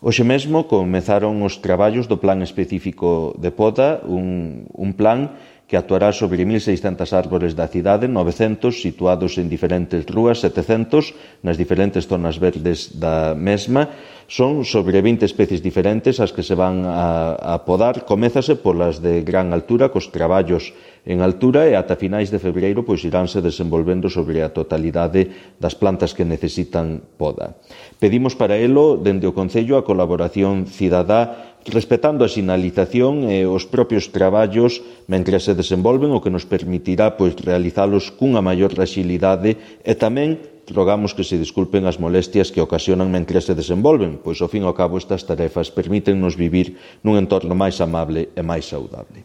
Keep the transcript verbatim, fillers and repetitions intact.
Hoxe mesmo comezaron os traballos do Plan Específico de Poda, un, un plan que actuará sobre mil seiscentas árbores da cidade, novecentos situados en diferentes rúas, setecentos nas diferentes zonas verdes da mesma. Son sobre vinte especies diferentes as que se van a, a podar. Comézase polas de gran altura, cos traballos en altura, e ata finais de febreiro pois iránse desenvolvendo sobre a totalidade das plantas que necesitan poda. Pedimos para elo, dende o Concello, a colaboración cidadá, respetando a sinalización e os propios traballos mentres se desenvolven, o que nos permitirá pois realizalos cunha maior axilidade, e tamén rogamos que se disculpen as molestias que ocasionan mentres se desenvolven, pois ao fin e ao cabo estas tarefas permítennos vivir nun entorno máis amable e máis saudable.